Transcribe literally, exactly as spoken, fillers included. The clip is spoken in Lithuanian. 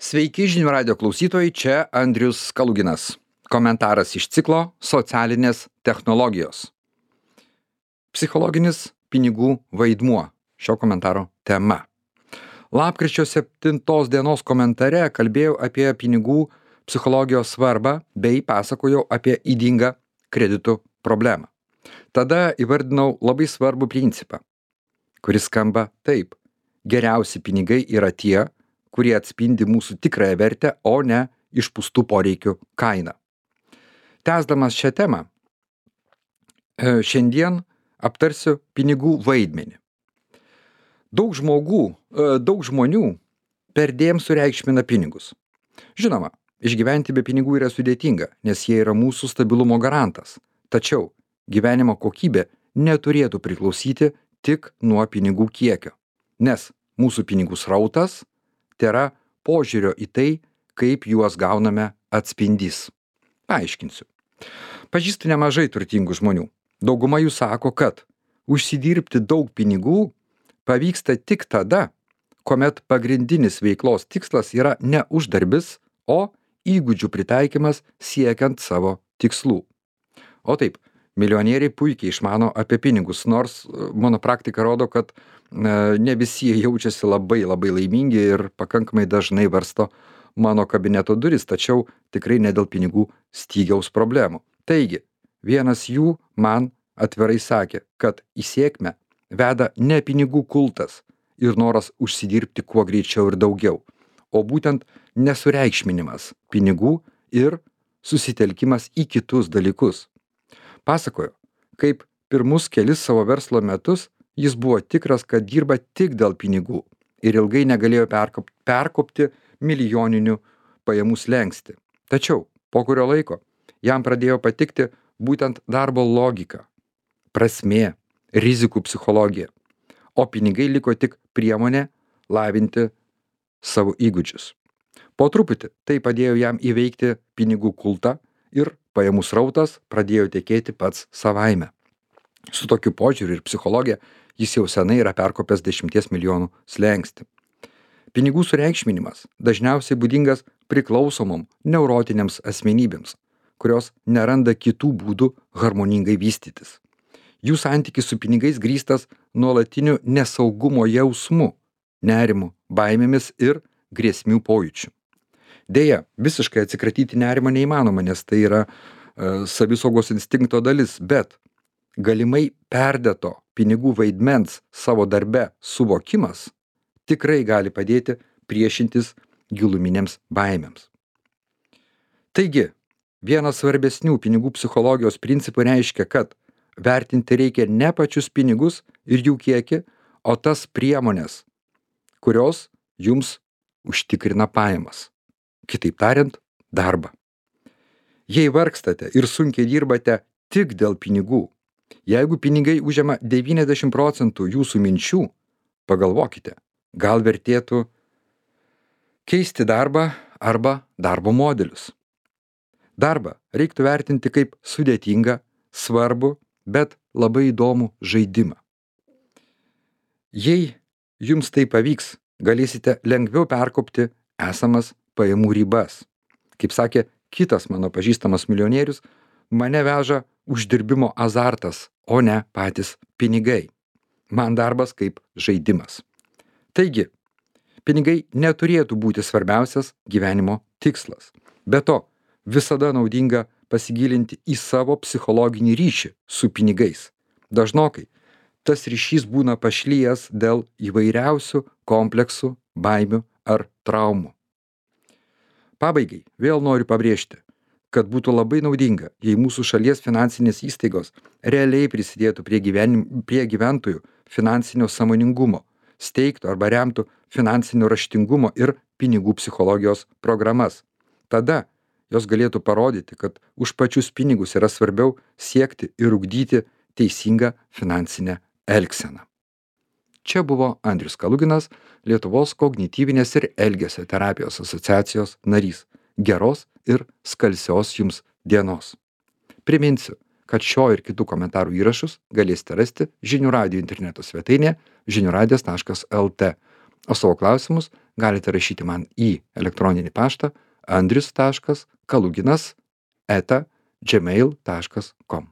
Sveiki žinių radio klausytojai, čia Andrius Kaluginas. Komentaras iš ciklo Socialinės technologijos. Psichologinis pinigų vaidmuo. Šio komentaro tema. Lapkričio septintos dienos komentare kalbėjau apie pinigų psichologijos svarbą bei pasakojau apie ydingą kreditų problemą. Tada įvardinau labai svarbų principą, kuris skamba taip. Geriausi pinigai yra tie, kurie atspindi mūsų tikrąją vertę, o ne išpūstų poreikių kainą. Tęsdamas šią temą, šiandien aptarsiu pinigų vaidmenį. Daug žmogų, daug žmonių perdėm sureikšmina pinigus. Žinoma, išgyventi be pinigų yra sudėtinga, nes jie yra mūsų stabilumo garantas. Tačiau gyvenimo kokybė neturėtų priklausyti tik nuo pinigų kiekio, nes mūsų pinigų srautas tėra požiūrio į tai, kaip juos gauname atspindys. Paaiškinsiu. Pažįstu nemažai turtingų žmonių. Dauguma jų sako, kad užsidirbti daug pinigų pavyksta tik tada, kuomet pagrindinis veiklos tikslas yra ne uždarbis, o įgūdžių pritaikymas siekiant savo tikslų. O taip, milijonieriai puikiai išmano apie pinigus, nors mano praktika rodo, kad ne visi jie jaučiasi labai labai laimingi ir pakankamai dažnai varsto mano kabineto duris, tačiau tikrai ne dėl pinigų stygiaus problemų. Taigi, vienas jų man atvirai sakė, kad į sėkmę veda ne pinigų kultas ir noras užsidirbti kuo greičiau ir daugiau, o būtent nesureikšminimas pinigų ir susitelkimas į kitus dalykus. Pasakojo, kaip pirmus kelis savo verslo metus jis buvo tikras, kad dirba tik dėl pinigų ir ilgai negalėjo perkopti, perkopti milijoninių pajamų slenkstį. Tačiau po kurio laiko jam pradėjo patikti būtent darbo logika, prasmė, rizikų psichologija, o pinigai liko tik priemonė lavinti savo įgūdžius. Po truputį tai padėjo jam įveikti pinigų kultą ir pajamų srautas pradėjo tekėti pats savaime. Su tokiu požiūriu ir psichologija jis jau senai yra perkopęs dešimties milijonų slenkstį. Pinigų sureikšminimas dažniausiai būdingas priklausomom neurotiniams asmenybėms, kurios neranda kitų būdų harmoningai vystytis. Jų santykis su pinigais grįstas nuolatiniu nesaugumo jausmu, nerimu, baimėmis ir grėsmių pojūčiu. Deja, visiškai atsikratyti nerimą neįmanoma, nes tai yra e, savisaugos instinkto dalis, bet galimai perdėto pinigų vaidmens savo darbe suvokimas tikrai gali padėti priešintis giluminėms baimėms. Taigi, vienas svarbesnių pinigų psichologijos principų reiškia, kad vertinti reikia ne pačius pinigus ir jų kiekį, o tas priemonės, kurios jums užtikrina pajamas. Kitaip tariant, darbą. Jei vargstate ir sunkiai dirbate tik dėl pinigų, jeigu pinigai užima devyniasdešimt procentų jūsų minčių, pagalvokite, gal vertėtų keisti darbą arba darbo modelius. Darbą reiktų vertinti kaip sudėtingą, svarbų, bet labai įdomų žaidimą. Jei jums tai pavyks, galėsite lengviau perkopti esamas pajamų ribas. Kaip sakė kitas mano pažįstamas milijonierius, mane veža uždirbimo azartas, o ne patys pinigai. Man darbas kaip žaidimas. Taigi, pinigai neturėtų būti svarbiausias gyvenimo tikslas. Be to, visada naudinga pasigilinti į savo psichologinį ryšį su pinigais. Dažnokai tas ryšys būna pašlijęs dėl įvairiausių kompleksų, baimių ar traumų. Pabaigai vėl noriu pabrėžti, kad būtų labai naudinga, jei mūsų šalies finansinės įstaigos realiai prisidėtų prie, gyvenim, prie gyventojų finansinio sąmoningumo, steigtų arba remtų finansinio raštingumo ir pinigų psichologijos programas. Tada jos galėtų parodyti, kad už pačius pinigus yra svarbiau siekti ir ugdyti teisingą finansinę elgseną. Čia buvo Andrius Kaluginas, Lietuvos kognityvinės ir elgesio terapijos asociacijos narys. Geros ir skalsios jums dienos. Priminsiu, kad šio ir kitų komentarų įrašus galėsite rasti žinių radijo interneto svetainėje žinių radijas taškas el tė. o savo klausimus galite rašyti man į elektroninį paštą andrius taškas kaluginas eta gmail taškas com.